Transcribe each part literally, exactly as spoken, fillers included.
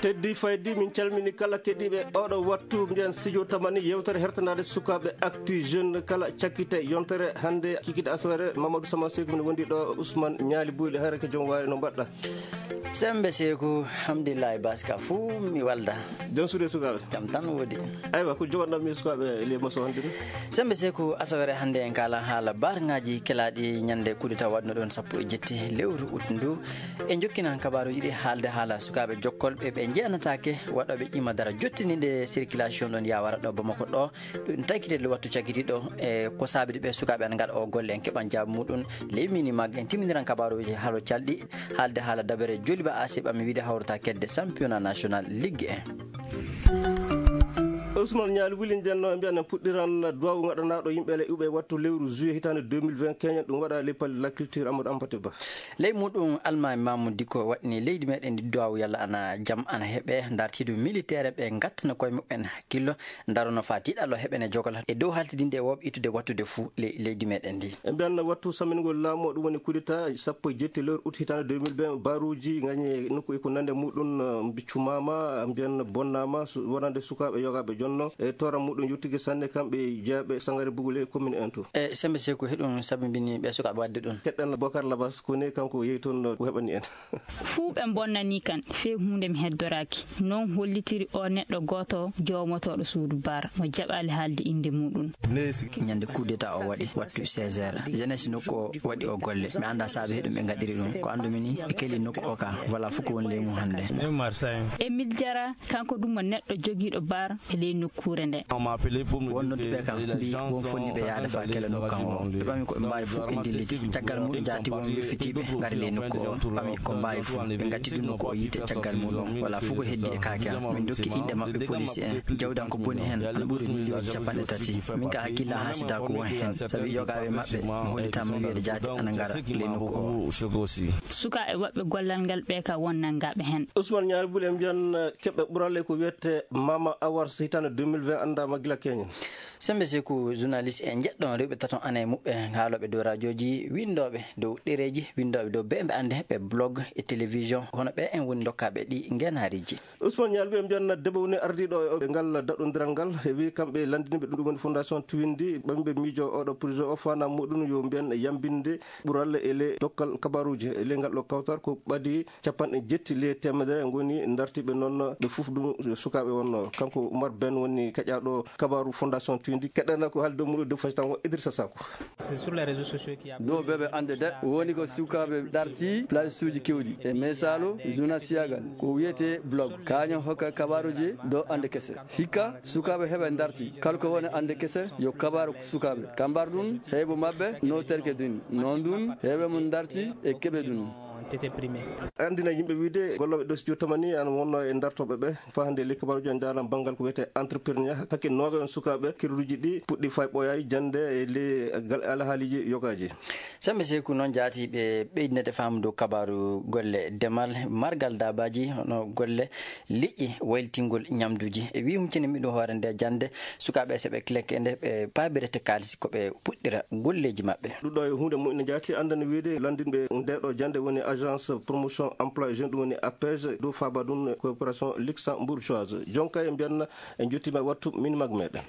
Heddi faydi, min calmini kala keɗiiɓe oɗo wattu. Mbiyen studio tamani yewtere hertanaade sukaaɓe Actu Jeune kala cakkite yontere hannde kikiɗe asawere. Mamadou Sama Seku ne wondi ɗo, Ousmane Ñaali Buyɗe, hara ko joom waari, no mbaɗɗa? Sembe Seku, alhamdulillahi, baska fuu mi walda. Jom suuɗe sukaaɓe? Jam tan woodi. Aywa, ko jogoɗon mi sukaaɓe le maso hannde ni? Sembe Seku, asawere hannde en kaala haala barŋaaji kelaaɗi ñande kudeta waɗno ɗon sappo e jetti lewru ut ndu. E jokkina kabaaruuji ɗi haalde haala sukaaɓe jokkolɓe ɓe jeyanataake waɗooɓe ƴima dara jottiniiɗe circulation ɗon yawara ɗo Bamako ɗo. Ɗum taykitede wattu cakkitiiɗo e ko saabidi ɓe sukaaɓe ana ngaɗa o golle, en keɓan jaabi muɗum. Ley mini mag en timminiran kabaaruuji halo calɗi haalde haala dabere joliba A C ɓami wiide hawrata kedde championnat national Ligue un. Ousmane Ñaali Wuli, nden no mbiyan en puɗɗiran duwawu ngaɗanaaɗo yimɓe le uɓe wattu lewru juillet hitaande deux mille vingt keñen ɗum waɗa ley palais de la culture Amadou Hampâté Bâ. Ley muɗum Almaami Mamoudou Dicko waɗni leydi meɗen ndi duwawu yalla ana jam ana heɓe dartiidu militaire ɓe ngattana koye muɓɓen hakkillo. Darono faa tiiɗallo heɓene jogal e dow haltidinde e wooɓe ittude wattude fuu ley leydi meɗen ndi. E mbiyan wattu sammingol laamu o, ɗum woni kudeta sappo e jetti lewru ut hitaande deux mille vingt, baruuji ngañe nokku e ko nande muɗum, eh, mbi cumaama, mbiyan bonnaama, su-, wonande sukaaɓe yogaaɓe jonno e toora muɗum yottike sanne kamɓe jeeɓe sangare bugule commune en to. E sembe Seku heɗum sababini ɓe sukaaɓe waɗde ɗum. Keɗɗen Bokar Labas ko ne kanko yehi toon ko heɓani en. Fuu ɓe mbonnanii kan, fee huunde mi heddoraaki. Noon hollitiri o neɗɗo gooto joomotooɗo suudu bar, mo jaɓaali haalde innde muɗum. Ñande coup d'état o waɗi, wattu seize heures. Jeunesse nokku o waɗi o golle. Mi anndaa saabe heɗum ɓe ngaɗiri ɗum. Ko anndumi ni, ɓe keli nokku o ka. Voilà, fof ko woni ley mum hannde. E Miljara, kanko ɗum mo neɗɗo jogiiɗo bar e ley nokkuure nde. Wonnooɓe ɓe kam mbi won fonni ɓe yahde faa kela nokku kan o. Ɓe ɓami ko ɓe mbaawi fof ɓe ndilliti. Caggal muɗum jaati won wirfitiiɓe ngari ley nokku o. Ɓami ko mbaawi fof. Ɓe ngatti ɗum nokku o yiite caggal muɗum. Wala fof ko heddi e kaake am. Min dokki inɗe maɓɓe police en. Jawdi am ko boni heen ana ɓuri million ji capanɗe tati. Min ka hakkilla haa sida ko won heen. Sabi yogaaɓe maɓɓe mi hollitaama wiyeede jaati ana ngara ley nokku o. Sukaaɓe waɗɓe gollal ngal ɓe ka won nanngaaɓe heen. Ousmane Ñaari Bul en mbiyan, eh, keɓɓe ɓuralle ko wiyete Mama Awards hitaande deux mille vingt anndaama gila keñen. Sembe Seku, journaliste e jeɗɗo rewɓe tato ana e muɓɓe haalooɓe dow radiooji, winndooɓe dow ɗereeji, winndooɓe dow beembe annde ɓe blog e télévision, hono ɓe en woni dokkaaɓe ɗi ngeenaariiji. Ousmane Ñaali Bul en mbiyan debbo woni ardiiɗo e ngal daɗondiral ngal, e wi kamɓe lanndiniiɓe ɗum, ɗum woni Fondation Tuwindi, ɓamɓe miijo oɗo projet o fana muɗum yo mbiyan yambinde ɓuralle e le dokkal kabaruuji e le ngal ɗo kawtal ko ɓadi capanɗe jetti le teemedere ngoni dartiiɓe noon ɓe fof ɗum sukaaɓe wonno. Kanko Oumar Ben woni keƴaaɗo kabaaru Fondation Tuwindi. Keɗana ko haalde dow muɗum dow fasitan o Idrissa Sako. Dow beɓe annde de woni ko sukaaɓe darti place uji kewɗi e mesaalo journal siyagal ko wiyete blog kañum hokka kabaaruji dow annde kese. Hikka sukaaɓe heɓe darti kala ko woni annde kese yo kabaaru sukaaɓe kambar ɗum heɓo maɓɓe no terke duni noon ɗum heɓe mum darti e keɓe ɗum. Anndina yimɓe wiyde gollooɓe ɗo studio tamani ana wonno e dartooɓe ɓe. Faa hannde ley kabaaruuji en ndaaran banngal ko wiyetee entrepreneur. Hakke nooga en sukaaɓe kirruuji ɗi puɗɗi faa ɓooyaani jannde e ley gal-, alhaaliiji yogaaji. Sembe Seku noon jaati ɓe ɓeydinede faamu dow kabaaru golle demal, margal daabaaji, hono golle liƴƴi, wayltingol ñamduuji. E wii huccini miɗo hoore nde jannde, sukaaɓe so ɓe kileke nde ɓe paabirete kaalisi ko ɓe puɗɗira golleeji maɓɓe. Ɗum ɗo e huunde moƴƴo jaati, anndana wiyde lanndinɓe nde ɗo jannde woni Agence Promotion Emploi Jeune, ɗum woni APEJ, dow faaba ɗum coopération luxembourgeoise. Jonka e mbiyanna en jottiima e wattu minimag meɗen.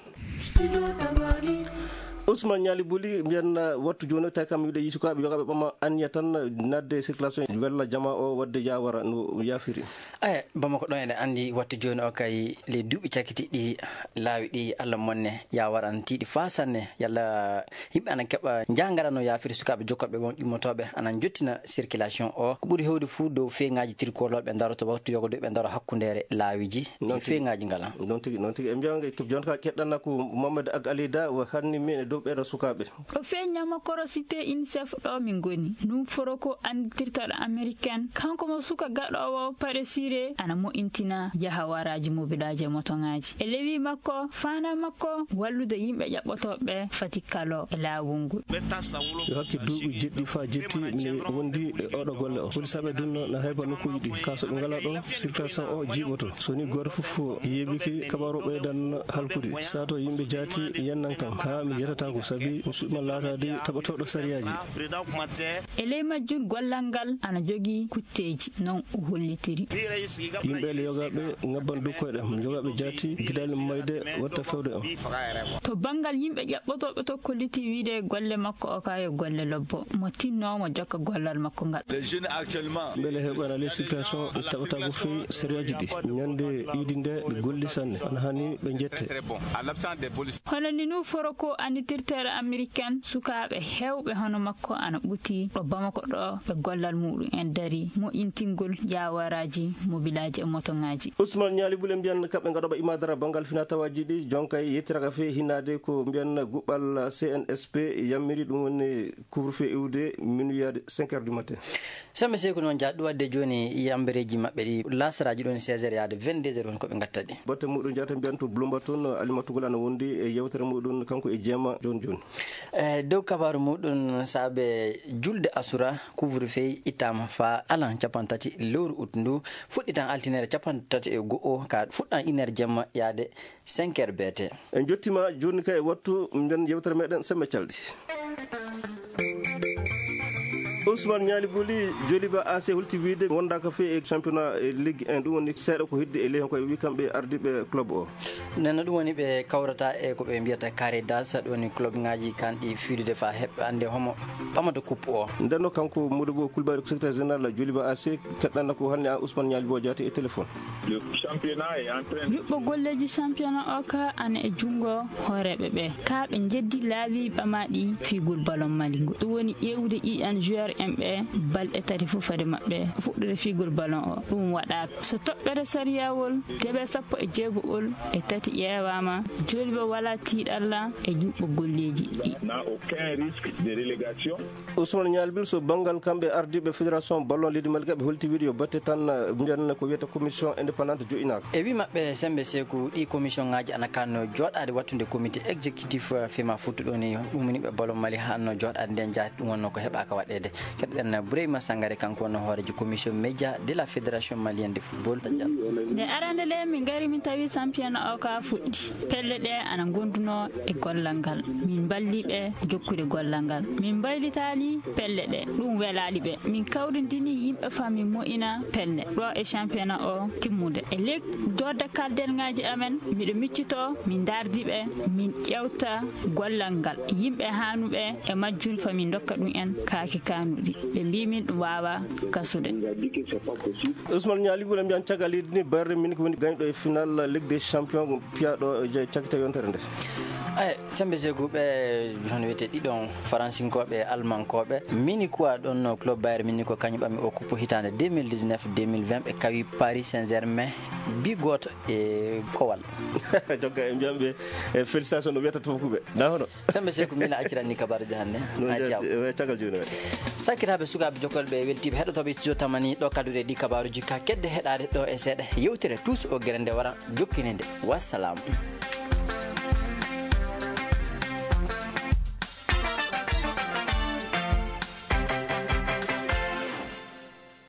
Ousmane Ñaali Buli mbiyanna wattu jooni o tawi kam wiide yi sukaaɓe yogaaɓe ɓama anniya tan naatde circulation wella jama o waɗde yawara no yaafiri. Aya, Bamako ɗon eɗen anndi wattu jooni o kay ley duuɓi cakkitiiɗi laawi ɗi Allah monne yawara ana tiiɗi faa sanne. Yalla yimɓe ana keɓa njaangara no yaafiri sukaaɓe jokkoɓe won ƴummotooɓe ana njottina circulation o. Ko ɓuri heewde fuu dow feeñaaji tirkolooɓe ndaroto waktu yogodoɓe ndaro hakkundeere laawiiji. Noon tigi. Feeñaaji ngala. Noon tigi, noon tigi. E mbiya nge, jooni ka keɗɗanna ko Mohamed Ag Alida o hanni min e dow ɓeeɗo sukaaɓe. O feeñaama korosite UNICEF ɗo min ngoni. Ɗum foro ko anndirtirtoɗo American. Kanko mo suka gaɗoowo paɗe sire ana moƴƴintina jahawaraaji mobilaaji e motoŋaaji. E lewi makko, faanaa makko wallude yimɓe ƴaɓɓotooɓe fati kalo e laawol ngol. Yo hakke duuɓi jeɗɗi faa jetti, mi wondi e oɗo golle o. Polisaɓe dunno na hayba nokkuuji ɗi. Kaa so ɓe ngalaa ɗo, circulation o jiiɓoto. So ni gooto fof yeeɓiki, kabaru ɓeydan halkude. Sato yimɓe jaati yennan kam, haa mi yetata. Ko sabi o suɓima laataade taɓotooɗo sariyaaji. E ley majjum, gollal ngal ana jogii kutteeji, non o hollitiri. Yimɓe ele yogaaɓe ngabban dow koyɗe am, yogaaɓe jaati gidaali mayde watta fewde am. To banngal yimɓe ƴaɓɓotooɓe to, kolliti wiide golle makko o ka yo golle lobbo, mo tinnoo mo jokka gollal makko ngal. Mbele heɓana les circulation taɓatago fewi sariyaaji ɗi. Ñande iidi nde ɓe golli sanne, ana hani ɓe jette. Hono ni nu foro ko annitirteeɗo Amerikan, sukaaɓe heewɓe hono makko ana ɓuti ɗo Bamako ɗo, ɓe gollal muɗum en dari moƴƴintingol jaawaraaji, mobilaaji e motoŋaaji. Ousmane Ñaali Bule mbiyan kamɓe ngaɗoɓe imadara banngal fina tawaaji ɗi, jonka e yettiraka fe hinaade ko mbiyan guɓɓal C N S P yammiri, ɗum woni couvre-feu iwde minuit yaade cinq heures du matin. Sembe Seeku noon, jaa ɗum waɗde jooni yambereeji maɓɓe ɗi, laasaraaji ɗoon seize heures yaade vingt-deux heures woni ko ɓe ngatta ɗi. Batte muɗum jaata mbiyan to Bloomberg toon, Alimatu Gol ana wondi e yewtere muɗum kanko e jeema jooni jooni. E dow kabaaru muɗum, saabe julde asura, couvre-feu ittaama faa alan cappanɗe tati lewru ut ndu, fuɗɗitan altine capanɗe tati e go'o, ka fuɗɗan une heure jemma yaade cinq heures B T. En jottima jooni ka e wattu, mbiyan yewtere meɗen sembe calɗi. Ousmane Ñaali Buli, Joliba A C holti wiide wondaaka fe e championnat e Ligue un, ɗum woni seeɗa ko heddi e ley, ko e wi kamɓe ardiiɓe club o. Nden no ɗum woni ɓe kawrata e ko ɓe mbiyata carré d'as, ɗum woni club ngaji kanɗi fiidude faa heɓɓe annde homo ɓamata coupe o. Nden no kanko Modou Bo Coulibaly ko secrétaire général Joliba A C, keɗɗanna ko hannde a Ousmane Ñaali Bo Jaati e téléphone. Le championnat est en train de Yuɓɓo golleeji championnat o ka ana e junngo hooreeɓe ɓe. Ka ɓe njeddi laawi ɓamaaɗi fiigol ballon Mali ngo. Ɗum woni ƴeewude ƴiiƴan joueur en ɓe balɗe tati fof fade maɓɓe fuɗɗude fiigol ballon o. Ɗum waɗaaka. So toɓɓere sariyawol deɓe sappo e jeego'ol e tati ƴeewaama, Joliba wala tiiɗalla e yuɓɓo golleeji ɗi. N'a aucun risque de relégation. Ousmane Ñaali Bul, so banngal kamɓe ardiiɓe fédération ballon leydi Mali, ɓe holti wiide yo batte tan, eh, mbiyan ko wiyata commission indépendante joƴƴinaaka. E wi maɓɓe, sembe Seeku, ɗi commission ngaji ana kanno jooɗaade wattude comité exécutif, eh, fema futtu ɗo ni, ɗum woni ɓe ballon Mali hanno jooɗaade nden jaati, ɗum wonno ko heɓaaka waɗeede. Keɗɗen Boureyma Sangare, kanko wonno hooreejo commission média de la Fédération Malienne de Football. Nde arande nde min ngari, min tawi championnat o ka fuɗɗi. Pelle ɗe ana ngondunoo e gollal ngal. Min mballi ɓe jokkude gollal ngal. Min mbaylitaali pelle ɗe. Ɗum welaali ɓe. Min kawrindini yimɓe faa min moƴƴina pelle ɗo e championnat o timmude. E lek dodde kaldenŋaaji amen, miɗo miccitoo, min ndaardi ɓe, min ƴeewta gollal ngal. Yimɓe haanuɓe e majjum faa min ndokka ɗum en kaaki kaanuɗi. Ɓe mbii min ɗum waawaa gasude. Ousmane Ñaali Bul, mbiyan caggal leydi ni, Bayern Munich woni gañɗo e final Ligue des Champions piyaaɗo e cakita yontere nde. Ay, sembe Seeku, ɓe hono wiyetee ɗiɗon faransinkooɓe, almankooɓe. Mini quoi ɗon no club Bayern Munich ko kañum ɓami o coupe hitaande deux mille dix-neuf deux mille vingt, ɓe kawi Paris Saint-Germain bi gooto e kowal. Jonka e mbiyan ɓe, eh, félicitation no wiyata to fukuɓe. Na hono? Sembe Seeku, mina acciran ni kabaaruji hannde. No a jaw. Caggal jooni waɗi. Sakiraaɓe, sukaaɓe jokkolɓe e weltiiɓe heɗotooɓe studio Tamani, ɗo kaduɗe ɗi kabaaruji ka kedde heɗaade ɗo e seeɗa. Yewtere Tous o gere nde wara jokkine nde. Wassalam.